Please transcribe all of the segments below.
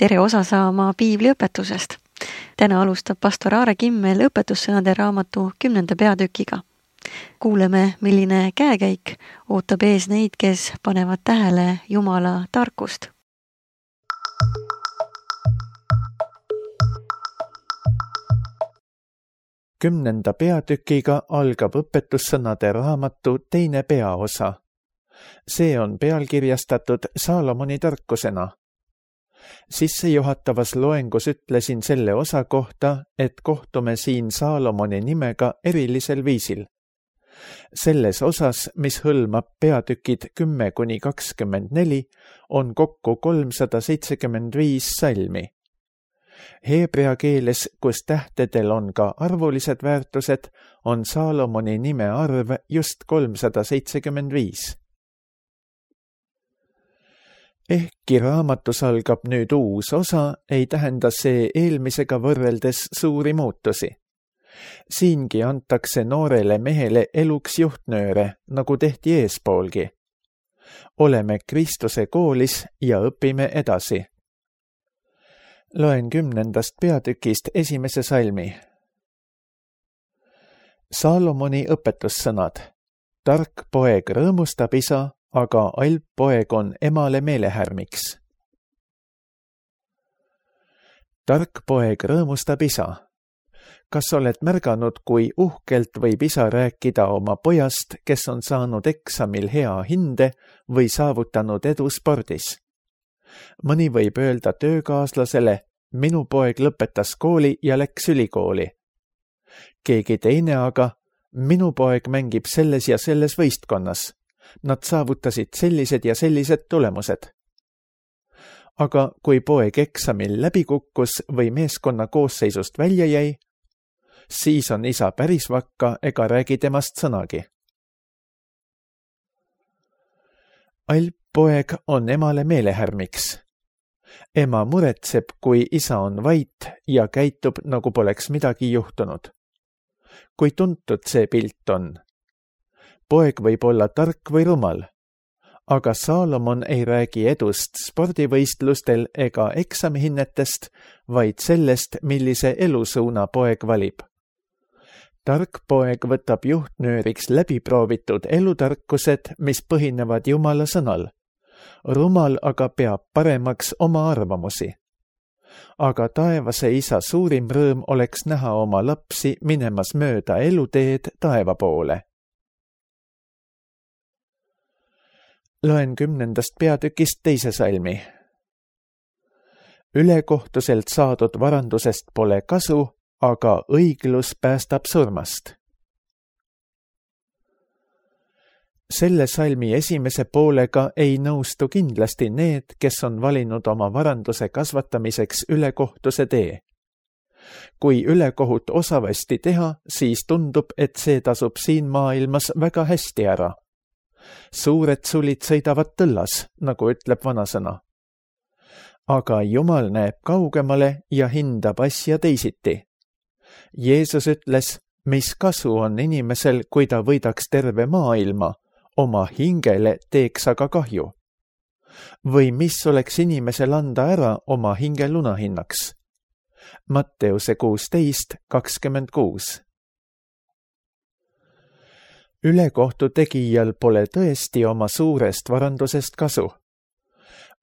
tere osa saama piibliõpetusest. Täna alustab pastor Aare Kimmel õpetussõnade raamatu 10. peatükiga. Kuuleme, milline käekäik ootab ees neid, kes panevad tähele Jumala tarkust. Kümnenda peatükiga algab õpetussõnade raamatu teine peaosa. See on pealkirjastatud Saalomoni tarkusena. Sissejuhatavas loengus ütlesin selle osa kohta, et kohtume siin Saalomoni nimega erilisel viisil. Selles osas, mis hõlmab peatükid 10-24, on kokku 375 salmi. Heebrea keeles, kus tähtedel on ka arvulised väärtused, on Saalomoni nime arv just 375. Ehkki raamatus algab nüüd uus osa, ei tähenda see eelmisega võrreldes suuri muutusi. Siingi antakse noorele mehele eluks juhtnööre, nagu tehti eespoolgi. Oleme Kristuse koolis ja õpime edasi. Loen 10. peatükist esimese salmi. Saalomoni õpetussõnad. Tark poeg rõõmustab isa, aga alp poeg on emale meelehärmiks. Tark poeg rõõmustab isa. Kas oled märganud, kui uhkelt võib isa rääkida oma pojast, kes on saanud eksamil hea hinde või saavutanud edu spordis? Mõni võib öelda töökaaslasele, minu poeg lõpetas kooli ja läks ülikooli. Keegi teine aga, minu poeg mängib selles ja selles võistkonnas. Nad saavutasid sellised ja sellised tulemused. Aga kui poeg eksamil läbi kukkus või meeskonna koosseisust välja jäi, siis on isa päris vakka ega räägi temast sõnagi. Alp poeg on emale meelehärmiks. Ema muretseb, kui isa on vait ja käitub, nagu poleks midagi juhtunud. Kui tuntud see pilt on? Poeg võib olla tark või rumal, aga Saalomon ei räägi edust spordivõistlustel ega eksamihinnetest, vaid sellest, millise elusuuna poeg valib. Tark poeg võtab juhtnööriks läbiproovitud elutarkused, mis põhinevad Jumala sõnal. Rumal aga peab paremaks oma arvamusi. Aga taevase isa suurim rõõm oleks näha oma lapsi minemas mööda eluteed taeva poole. Loen 10. peatükist teise salmi. Ülekohtuselt saadud varandusest pole kasu, aga õiglus päästab surmast. Selle salmi esimese poolega ei nõustu kindlasti need, kes on valinud oma varanduse kasvatamiseks ülekohtuse tee. Kui ülekohut osavasti teha, siis tundub, et see tasub siin maailmas väga hästi ära. Suured sulid sõidavad tõllas, nagu ütleb vanasõna. Aga Jumal näeb kaugemale ja hindab asja teisiti. Jeesus ütles, mis kasu on inimesel, kui ta võidaks terve maailma, oma hingele teeks aga kahju. Või mis oleks inimesel anda ära oma hinge lunahinnaks? Matteuse 16:26. Ülekohtu tegijal pole tõesti oma suurest varandusest kasu.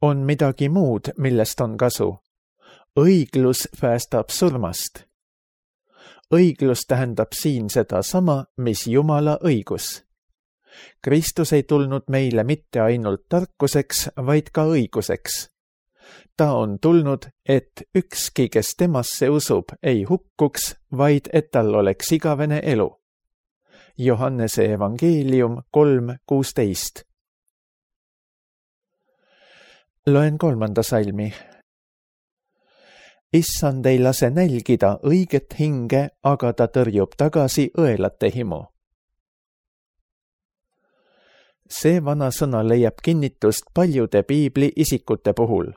On midagi muud, millest on kasu. Õiglus päästab surmast. Õiglus tähendab siin seda sama, mis Jumala õigus. Kristus ei tulnud meile mitte ainult tarkuseks, vaid ka õiguseks. Ta on tulnud, et ükski, kes temasse usub, ei hukkuks, vaid et tal oleks igavene elu. Johannese evangeelium 3:16. Loen 3. salmi. Issand ei lase nälgida õiget hinge, aga ta tõrjub tagasi õelate himu. See vanasõna leiab kinnitust paljude piibli isikute puhul.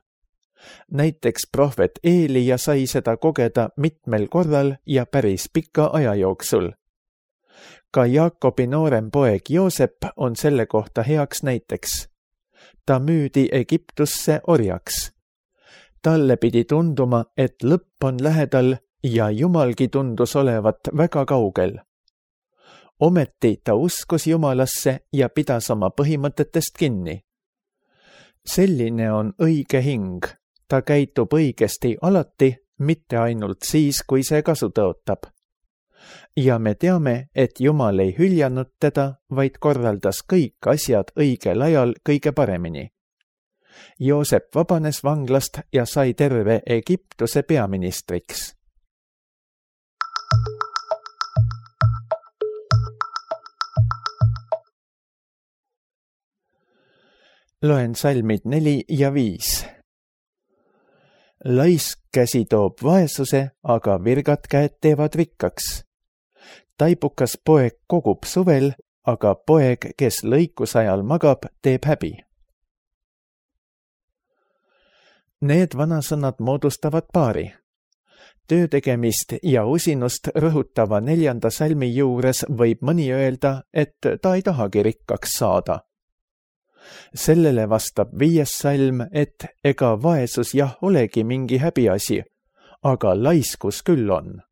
Näiteks prohvet Eelija sai seda kogeda mitmel korral ja päris pika aja jooksul. Ka Jaakobi noorem poeg Joosep on selle kohta heaks näiteks. Ta müüdi Egiptusse orjaks. talle pidi tunduma, et lõpp on lähedal ja Jumalgi tundus olevat väga kaugel. Ometi ta uskus Jumalasse ja pidas oma põhimõtetest kinni. Selline on õige hing. Ta käitub õigesti alati, mitte ainult siis, kui see kasu tõotab. Ja me teame, et Jumal ei hüljanud teda, vaid korraldas kõik asjad õigel ajal kõige paremini. Joosep vabanes vanglast ja sai terve Egiptuse peaministriks. Loen salmid 4 ja 5. Laisk käsi toob vaesuse, aga virgad käed teevad rikkaks. Taibukas poeg kogub suvel, aga poeg, kes lõikusajal magab, teeb häbi. Need vanasõnad moodustavad paari. Töö tegemist ja usinust rõhutava 4. salmi juures võib mõni öelda, et ta ei tahagi rikkaks saada. Sellele vastab 5. salm, et ega vaesus jah olegi mingi häbiasi, aga laiskus küll on.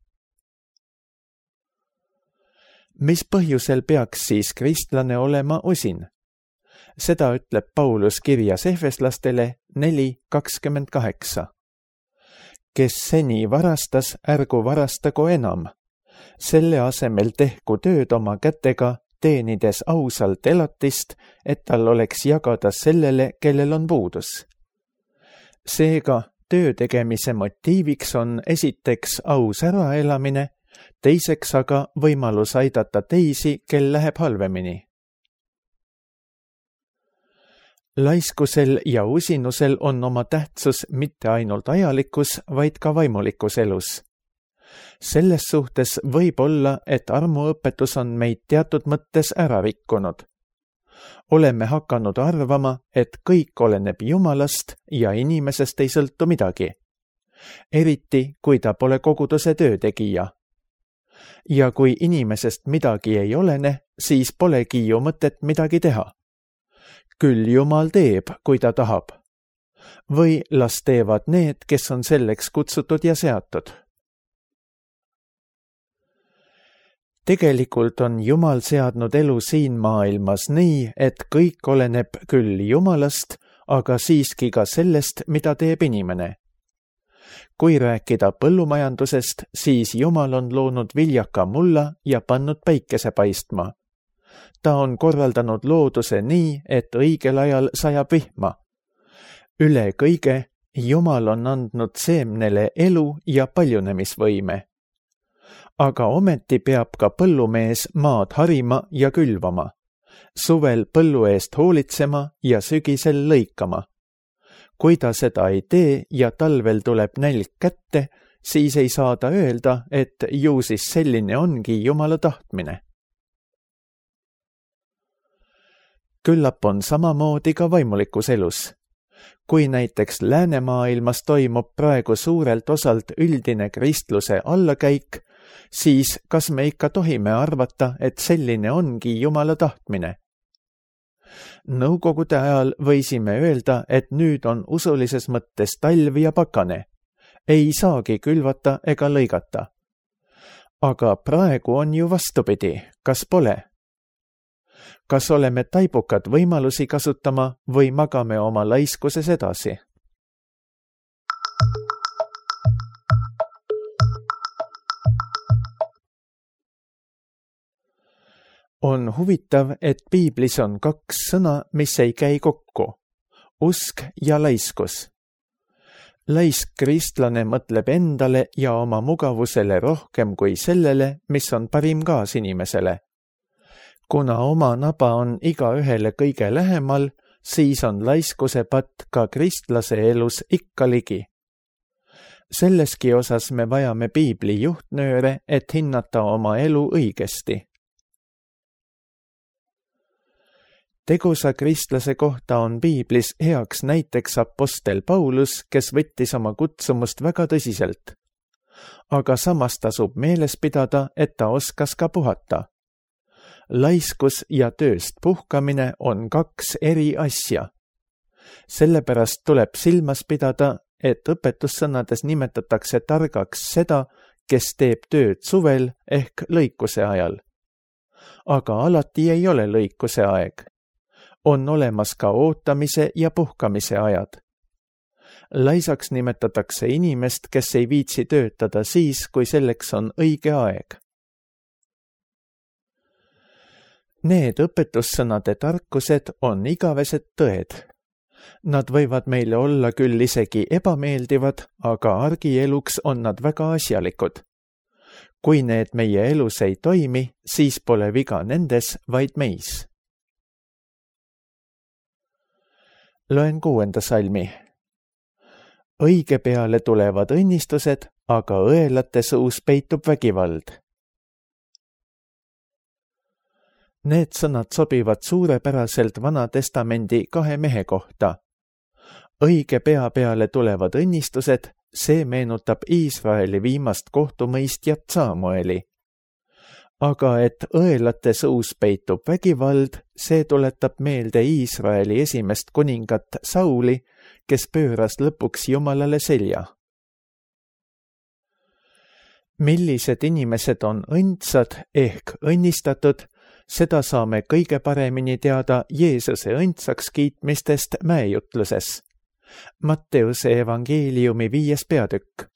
Mis põhjusel peaks siis kristlane olema usin? Seda ütleb Paulus kirjas Efeslastele 4:28. Kes seni varastas, ärgu varastagu enam. Selle asemel tehku tööd oma kätega, teenides ausalt elatist, et tal oleks jagada sellele, kellel on puudus. Seega töö tegemise motiiviks on esiteks aus äraelamine, teiseks aga võimalus aidata teisi, kel läheb halvemini. Laiskusel ja usinusel on oma tähtsus mitte ainult ajalikus, vaid ka vaimulikus elus. Selles suhtes võib olla, et armuõpetus on meid teatud mõttes ära rikkunud. Oleme hakanud arvama, et kõik oleneb Jumalast ja inimesest ei sõltu midagi. Eriti, kui ta pole koguduse töötegija. Ja kui inimesest midagi ei olene, siis polegi ju mõtet midagi teha. Küll Jumal teeb, kui ta tahab. Või las teevad need, kes on selleks kutsutud ja seatud. Tegelikult on Jumal seadnud elu siin maailmas nii, et kõik oleneb küll Jumalast, aga siiski ka sellest, mida teeb inimene. Kui rääkida põllumajandusest, siis Jumal on loonud viljaka mulla ja pannud päikese paistma. Ta on korraldanud looduse nii, et õigel ajal sajab vihma. Üle kõige Jumal on andnud seemnele elu ja paljunemisvõime. Aga ometi peab ka põllumees maad harima ja külvama, suvel põllu eest hoolitsema ja sügisel lõikama. Kui ta seda ei tee ja talvel tuleb nälg kätte, siis ei saa ta öelda, et ju siis selline ongi Jumala tahtmine. Küllap on samamoodi ka vaimulikus elus. Kui näiteks läänemaailmas toimub praegu suurelt osalt üldine kristluse allakäik, siis kas me ikka tohime arvata, et selline ongi Jumala tahtmine? Nõukogude ajal võisime öelda, et nüüd on usulises mõttes talv ja pakane. Ei saagi külvata ega lõigata. Aga praegu on ju vastupidi, kas pole? Kas oleme taibukad võimalusi kasutama või magame oma laiskuses edasi? On huvitav, et piiblis on 2 sõna, mis ei käi kokku. Usk ja laiskus. Laisk kristlane mõtleb endale ja oma mugavusele rohkem kui sellele, mis on parim kaasinimesele. Kuna oma naba on igaühele kõige lähemal, siis on laiskuse patt ka kristlase elus ikka ligi. Selleski osas me vajame piibli juhtnööre, et hinnata oma elu õigesti. Tegusa kristlase kohta on piiblis heaks näiteks apostel Paulus, kes võttis oma kutsumust väga tõsiselt. Aga samas tasub meeles pidada, et ta oskas ka puhata. Laiskus ja tööst puhkamine on 2 eri asja. Sellepärast tuleb silmas pidada, et õpetussõnades nimetatakse targaks seda, kes teeb tööd suvel ehk lõikuse ajal. Aga alati ei ole lõikuse aeg. On olemas ka ootamise ja puhkamise ajad. Laisaks nimetatakse inimest, kes ei viitsi töötada siis, kui selleks on õige aeg. Need õpetussõnade tarkused on igavesed tõed. Nad võivad meile olla küll isegi ebameeldivad, aga argieluks on nad väga asjalikud. Kui need meie elus ei toimi, siis pole viga nendes, vaid meis. Loen 6. salmi. Õige peale tulevad õnnistused, aga õelate suus peitub vägivald. Need sõnad sobivad suurepäraselt Vana Testamendi 2 mehe kohta. Õige pea peale tulevad õnnistused, see meenutab Iisraeli viimast kohtumõistjat Samueli. Aga et õelate suus peitub vägivald, see tuletab meelde Iisraeli esimest kuningat Sauli, kes pööras lõpuks Jumalale selja. Millised inimesed on õndsad ehk õnnistatud, seda saame kõige paremini teada Jeesuse õndsaks kiitmistest mäejutluses. Matteuse evangeeliumi 5. peatükk.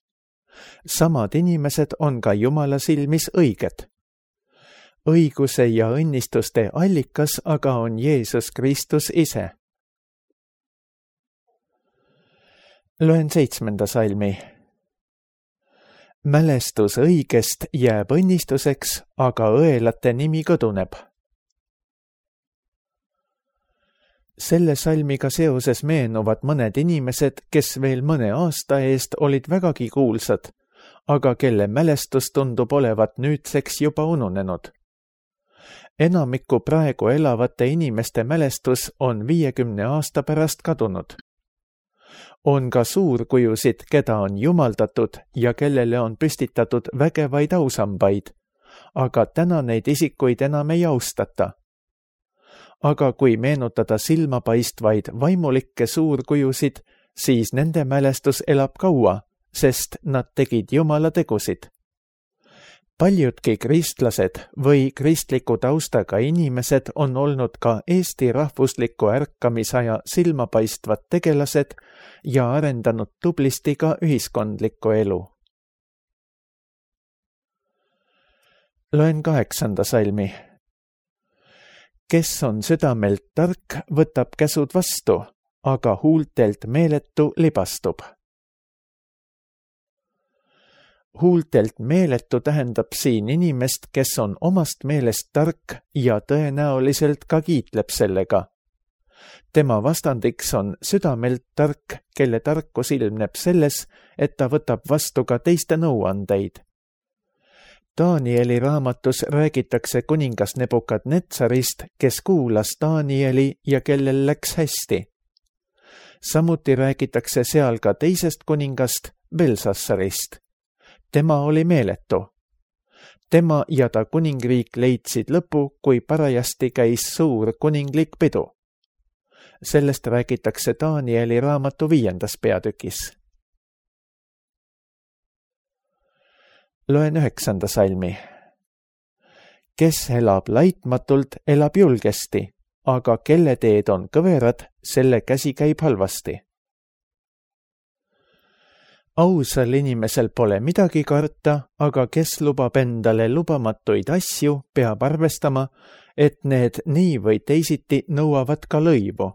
Samad inimesed on ka Jumala silmis õiged. Õiguse ja õnnistuste allikas aga on Jeesus Kristus ise. Loen 7. salmi. Mälestus õigest jääb õnnistuseks, aga õelate nimi kõduneb. Selle salmiga seoses meenuvad mõned inimesed, kes veel mõne aasta eest olid vägagi kuulsad, aga kelle mälestus tundub olevat nüüdseks juba ununenud. Enamiku praegu elavate inimeste mälestus on 50 aasta pärast kadunud. On ka suurkujusid, keda on jumaldatud ja kellele on püstitatud vägevaid ausambaid, aga täna neid isikuid enam ei austata. Aga kui meenutada silmapaistvaid vaimulikke suurkujusid, siis nende mälestus elab kaua, sest nad tegid Jumala tegusid. Paljudki kristlased või kristliku taustaga inimesed on olnud ka Eesti rahvusliku ärkamisaja silmapaistvad tegelased ja arendanud tublisti ka ühiskondlikku elu. Loen 8. salmi. Kes on südamelt tark, võtab käsud vastu, aga huultelt meeletu libastub. Huultelt meeletu tähendab siin inimest, kes on omast meelest tark ja tõenäoliselt ka kiitleb sellega. Tema vastandiks on südamelt tark, kelle tarkus ilmneb selles, et ta võtab vastu ka teiste nõuandeid. Danieli raamatus räägitakse kuningas Nebukadnetsarist, kes kuulas Danieli ja kellel läks hästi. Samuti räägitakse seal ka teisest kuningast, Belsassarist. Tema oli meeletu. Tema ja ta kuningriik leidsid lõpu, kui parajasti käis suur kuninglik pidu. Sellest räägitakse Danieli raamatu 5. peatükis. Loen 9. salmi. Kes elab laitmatult, elab julgesti, aga kelle teed on kõverad, selle käsi käib halvasti. Ausal inimesel pole midagi karta, aga kes lubab endale lubamatuid asju, peab arvestama, et need nii või teisiti nõuavad ka lõivu.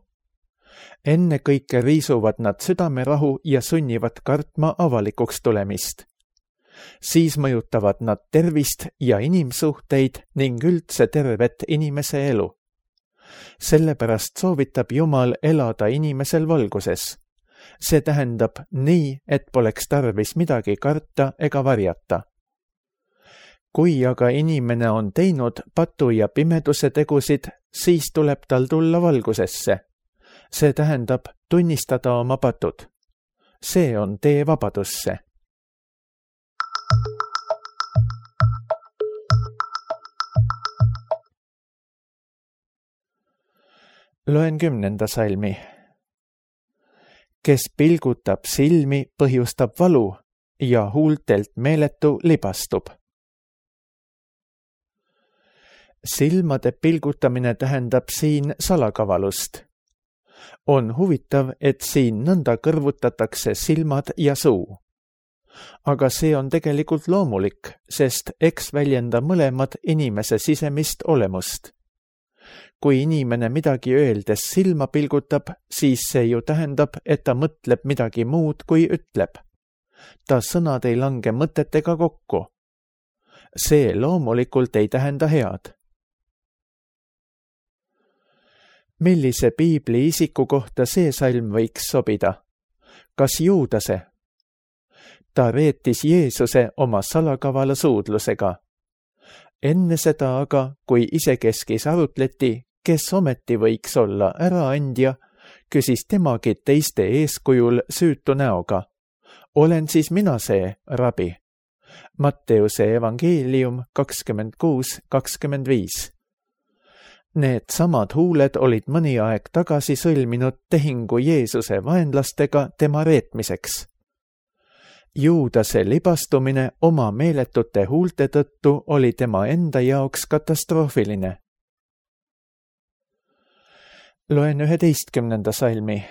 Ennekõike riisuvad nad südamerahu ja sunnivad kartma avalikuks tulemist. Siis mõjutavad nad tervist ja inimsuhteid ning üldse tervet inimese elu. Sellepärast soovitab Jumal elada inimesel valguses. See tähendab nii, et poleks tarvis midagi karta ega varjata. Kui aga inimene on teinud patu ja pimeduse tegusid, siis tuleb tal tulla valgusesse. See tähendab tunnistada oma patud. See on tee vabadusse. Loen 10. salmi. kes pilgutab silmi, põhjustab valu ja huultelt meeletu libastub. Silmade pilgutamine tähendab siin salakavalust. On huvitav, et siin nõnda kõrvutatakse silmad ja suu. Aga see on tegelikult loomulik, sest eks väljenda mõlemad inimese sisemist olemust. Kui inimene midagi öeldes silma pilgutab, siis see ju tähendab, et ta mõtleb midagi muud, kui ütleb. Ta sõnad ei lange mõtetega kokku. See loomulikult ei tähenda head. Millise piibli isiku kohta see salm võiks sobida? Kas Juudase? Ta reetis Jeesuse oma salakavala suudlusega. Enne seda aga, kui isekeskis arutleti, kes ometi võiks olla äraandja, küsis temagi teiste eeskujul süütu näoga. Olen siis mina see, rabi? Matteuse evangeelium 26:25. Need samad huuled olid mõni aeg tagasi sõlminud tehingu Jeesuse vaenlastega tema reetmiseks. Juudase libastumine oma meeletute huulte tõttu oli tema enda jaoks katastroofiline. Loen 11. salmi.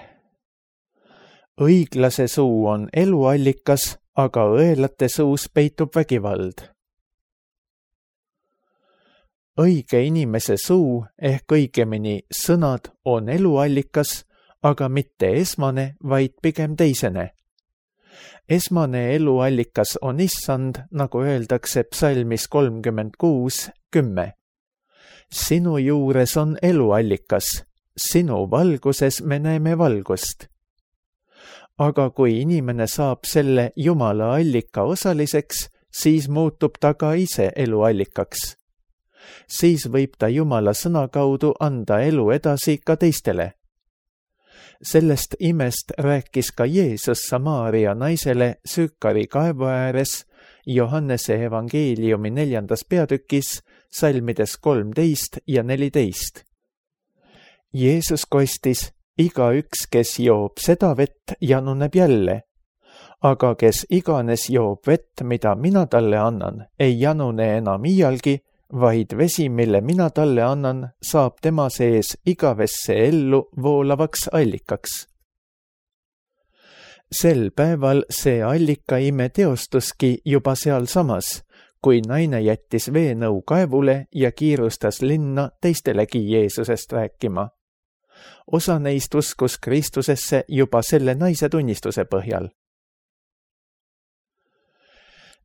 Õiglase suu on eluallikas, aga õelate suus peitub vägivald. Õige inimese suu ehk õigemini sõnad on eluallikas, aga mitte esmane, vaid pigem teisene. Esmane eluallikas on Issand, nagu öeldakse psalmis 36:10. Sinu juures on eluallikas, sinu valguses me näeme valgust. Aga kui inimene saab selle Jumala allika osaliseks, siis muutub ta ka ise eluallikaks. Siis võib ta Jumala sõna kaudu anda elu edasi ka teistele. Sellest imest rääkis ka Jeesus Samaaria naisele Süükari kaevu ääres Johannese evangeeliumi 4. peatükis, salmides 13 ja 14. Jeesus kostis, igaüks, kes joob seda vett, januneb jälle. Aga kes iganes joob vett, mida mina talle annan, ei janune enam iialgi, vaid vesi, mille mina talle annan, saab tema sees igavesse ellu voolavaks allikaks. Sel päeval see allikaime teostuski juba sealsamas, kui naine jättis veenõu kaevule ja kiirustas linna teistelegi Jeesusest rääkima. Osa neist uskus Kristusesse juba selle naise tunnistuse põhjal.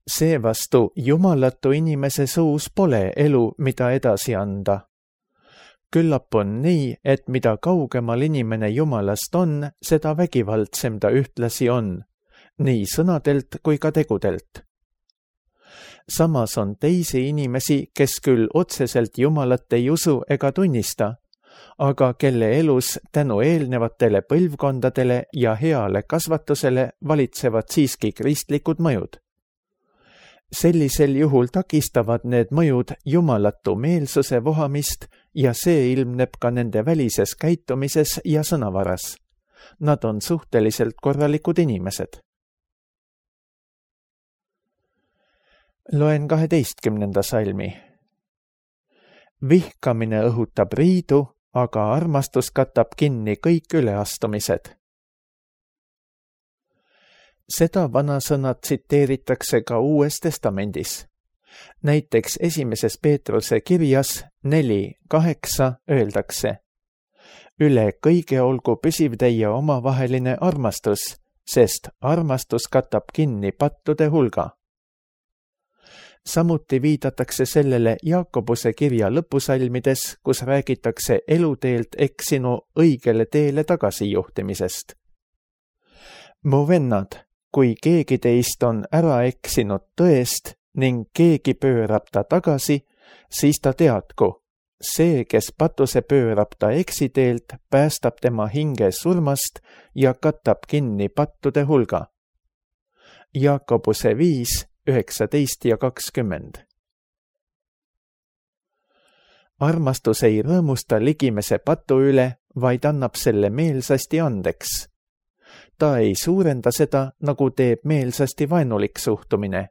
Seevastu jumalatu inimese suus pole elu, mida edasi anda. Küllap on nii, et mida kaugemal inimene Jumalast on, seda vägivaldsem ta ühtlasi on, nii sõnadelt kui ka tegudelt. Samas on teisi inimesi, kes küll otseselt Jumalat ei usu ega tunnista, aga kelle elus tänu eelnevatele põlvkondadele ja heale kasvatusele valitsevad siiski kristlikud mõjud. Sellisel juhul takistavad need mõjud jumalatu meelsuse vohamist ja see ilmneb ka nende välises käitumises ja sõnavaras. Nad on suhteliselt korralikud inimesed. Loen 12. salmi. Vihkamine õhutab riidu, aga armastus katab kinni kõik üleastumised. Seda vanasõna tsiteeritakse ka Uues Testamendis. Näiteks 1. Peetruse kirjas 4:8 öeldakse: Üle kõige olgu püsiv teie omavaheline armastus, sest armastus katab kinni pattude hulga. Samuti viidatakse sellele Jaakobuse kirja lõpusalmides, kus räägitakse eluteelt eksinu õigele teele tagasijuhtimisest. Mu vennad, kui keegi teist on ära eksinud tõest ning keegi pöörab ta tagasi, siis ta teadku, see, kes patuse pöörab ta eksiteelt, päästab tema hinge surmast ja katab kinni pattude hulga. Jaakobuse 5:19 ja 20. Armastus ei rõõmusta ligimese patu üle, vaid annab selle meelsasti andeks. ta ei suurenda seda, nagu teeb meelsasti vaenulik suhtumine.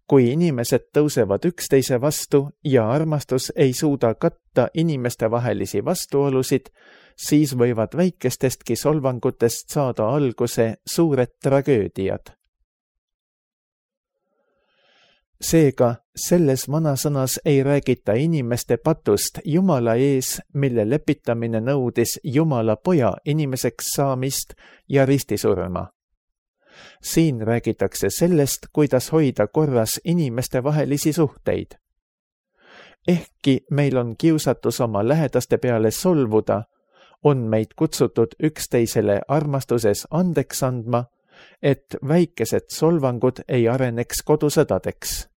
Kui inimesed tõusevad üksteise vastu ja armastus ei suuda katta inimeste vahelisi vastuolusid, siis võivad väikestestki solvangutest saada alguse suured tragöödiad. Seega, selles vanasõnas ei räägita inimeste patust Jumala ees, mille lepitamine nõudis Jumala poja inimeseks saamist ja ristisurma. Siin räägitakse sellest, kuidas hoida korras inimeste vahelisi suhteid. Ehkki meil on kiusatus oma lähedaste peale solvuda, on meid kutsutud üksteisele armastuses andeks andma, et väikesed solvangud ei areneks kodusõdadeks.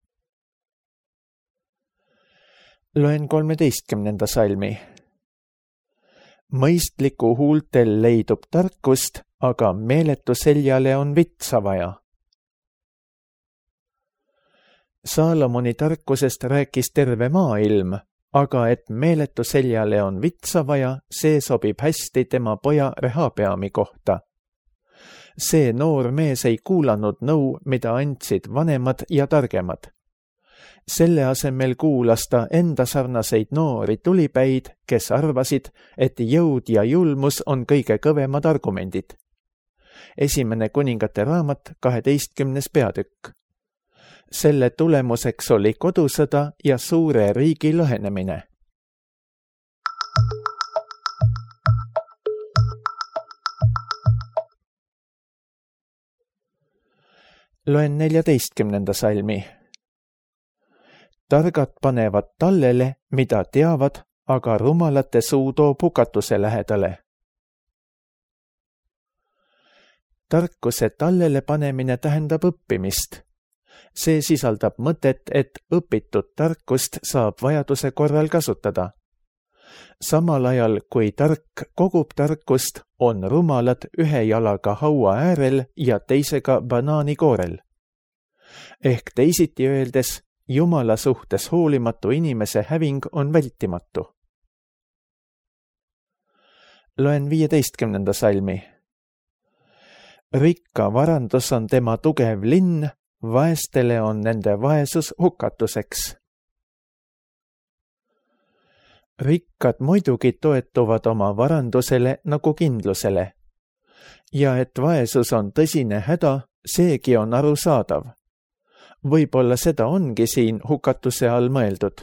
Loen 13. salmi. Mõistliku huultel leidub tarkust, aga meeletu seljale on vitsa vaja. Saalomoni tarkusest rääkis terve maailm, aga et meeletu seljale on vitsa vaja, see sobib hästi tema poja Rehabeami kohta. See noor mees ei kuulanud nõu, mida andsid vanemad ja targemad. Selle asemel kuulas ta enda sarnaseid noori tulipäid, kes arvasid, et jõud ja julmus on kõige kõvemad argumendid. 1. kuningate raamat, 12. peatükk. Selle tulemuseks oli kodusõda ja suure riigi lõhenemine. Loen 14. salmi. Targad panevad tallele, mida teavad, aga rumalate suu toob hukatuse lähedale. Tarkuse tallele panemine tähendab õppimist. See sisaldab mõtet, et õpitud tarkust saab vajaduse korral kasutada. Samal ajal, kui tark kogub tarkust, on rumalad ühe jalaga haua äärel ja teisega banaanikoorel. Ehk teisiti öeldes, Jumala suhtes hoolimatu inimese häving on vältimatu. Loen 15. salmi. Rikka varandus on tema tugev linn, vaestele on nende vaesus hukatuseks. Rikkad muidugi toetuvad oma varandusele nagu kindlusele. Ja et vaesus on tõsine häda, seegi on arusaadav. Võib-olla seda ongi siin hukatuse all mõeldud.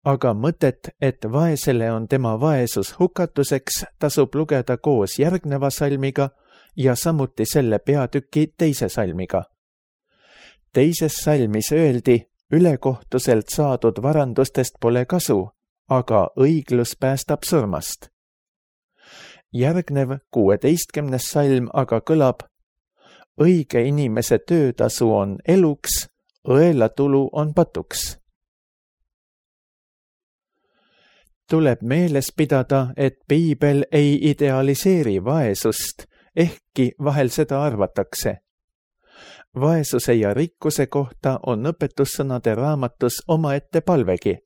Aga mõtet, et vaesele on tema vaesus hukatuseks, tasub lugeda koos järgneva salmiga ja samuti selle peatüki teise salmiga. Teises salmis öeldi, ülekohtuselt saadud varandustest pole kasu, aga õiglus päästab surmast. Järgnev 16. salm aga kõlab, õige inimese töötasu on eluks, õelatulu on patuks. Tuleb meeles pidada, et Piibel ei idealiseeri vaesust, ehkki vahel seda arvatakse. Vaesuse ja rikkuse kohta on õpetussõnade raamatus omaette palvegi.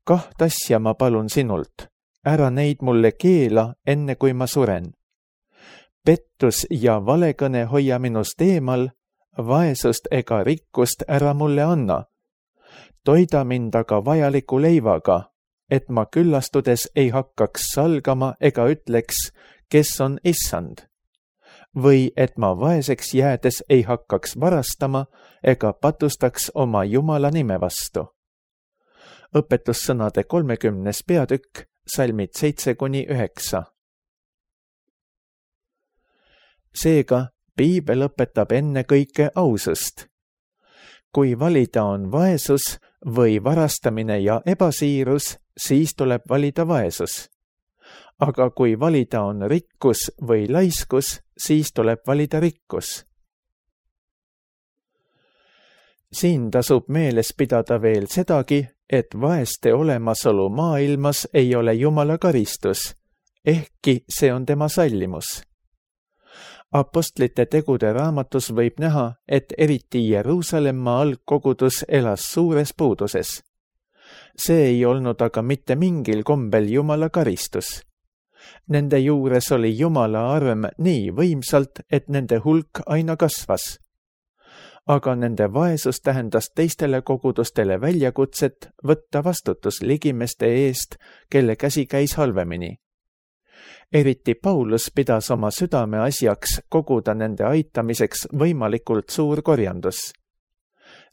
2 asja ma palun sinult, ära neid mulle keela, enne kui ma suren. Pettus ja valekõne hoia minust eemal, vaesust ega rikkust ära mulle anna. Toida mind aga vajaliku leivaga, et ma küllastudes ei hakkaks salgama ega ütleks, kes on issand. Või et ma vaeseks jäädes ei hakkaks varastama ega patustaks oma Jumala nime vastu. Õpetussõnade 30. peatükk, salmid 7-9. Seega, Piibel õpetab ennekõike ausust. Kui valida on vaesus või varastamine ja ebasiirus, siis tuleb valida vaesus. Aga kui valida on rikkus või laiskus, siis tuleb valida rikkus. Siin tasub meeles pidada veel sedagi, et vaeste olemasolu maailmas ei ole Jumala karistus, ehkki see on tema sallimus. Apostlite tegude raamatus võib näha, et eriti Jeruusalemma algkogudus elas suures puuduses. See ei olnud aga mitte mingil kombel Jumala karistus. Nende juures oli Jumala arm nii võimsalt, et nende hulk aina kasvas. Aga nende vaesus tähendas teistele kogudustele väljakutset võtta vastutus ligimeste eest, kelle käsi käis halvemini. Eriti Paulus pidas oma südame asjaks koguda nende aitamiseks võimalikult suur korjandus.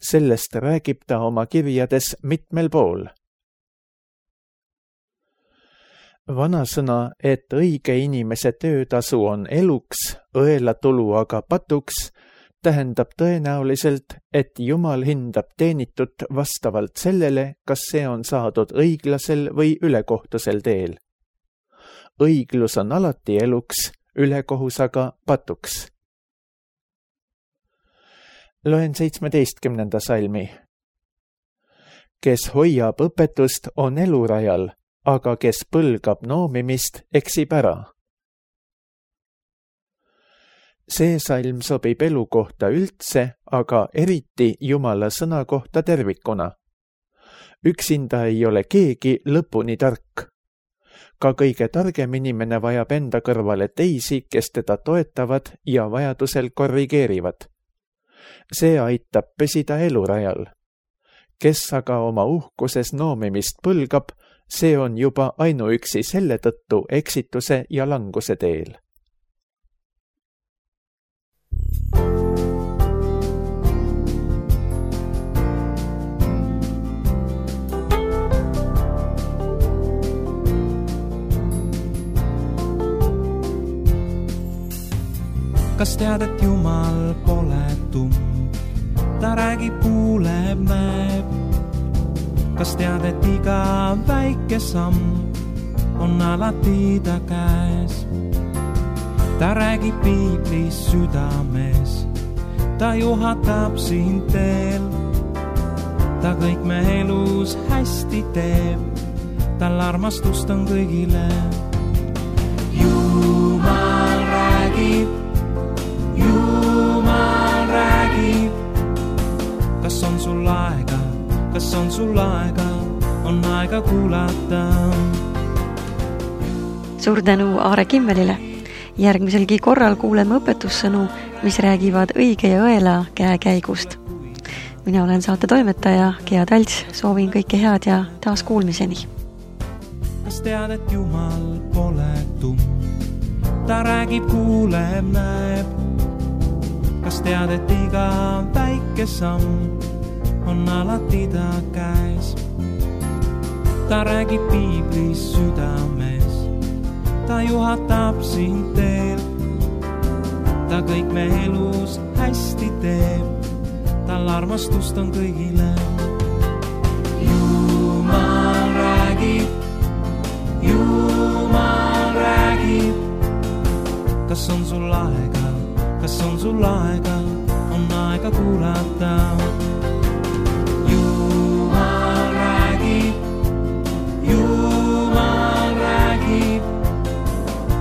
Sellest räägib ta oma kirjades mitmel pool. Vanasõna, et õige inimese töötasu on eluks, õelatulu aga patuks, tähendab tõenäoliselt, et Jumal hindab teenitut vastavalt sellele, kas see on saadud õiglasel või ülekohtusel teel. Õiglus on alati eluks, ülekohus aga patuks. Loen 17. salmi. Kes hoiab õpetust, on elurajal, aga kes põlgab noomimist, eksib ära. See salm sobib elu kohta üldse, aga eriti Jumala sõna kohta tervikuna. Üksinda ei ole keegi lõpuni tark. Ka kõige targem inimene vajab enda kõrvale teisi, kes teda toetavad ja vajadusel korrigeerivad. See aitab püsida elurajal. Kes aga oma uhkuses noomimist põlgab, see on juba ainuüksi selle tõttu eksituse ja languse teel. Kas tead, et Jumal pole tumm? Ta räägib, kuuleb, näeb. Kas tead, et iga väike samm on alati ta käes? Ta räägib piiblis südames, ta juhatab sind teel. Ta kõik me elus hästi teeb, tal armastust on kõigile. Jumal räägib, Jumal räägib. Kas on sul aega, kas on sul aega, on aega kuulata. Suur tänu Aare Kimmelile. Järgmiselgi korral kuuleme õpetussõnu, mis räägivad õige ja õela käekäigust. Mina olen saate toimetaja Gea Talts, soovin kõike head ja taas kuulmiseni. Kas tead, et Jumal pole tumm? Ta räägib, kuuleb, näeb. Kas tead, et iga väike samm on alati ta käes? Ta räägib piiblis südames, ta juhatab sind teel. Ta kõik me elus hästi teeb, tal armastust on kõigile. Jumal räägib, Jumal räägib. Kas on sul aega? Kas on sul aega, on aega kuulata. Jumal räägib, Jumal räägib.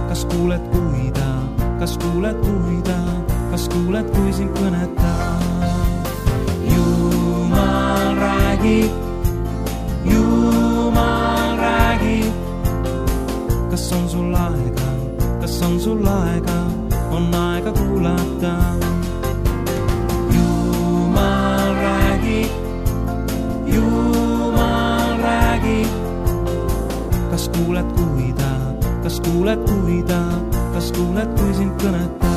Kas kuuled, kui ta, kas kuuled, kui ta, kas kuuled, kui sind kõnetab? Jumal räägib, Jumal räägib. Kas on sul aega, kas on sul aega, on aega kuulata. Jumal räägib, Jumal räägib. Kas kuuled, kui ta, kas kuuled, kui ta, kas kuuled, kui sind kõnetab?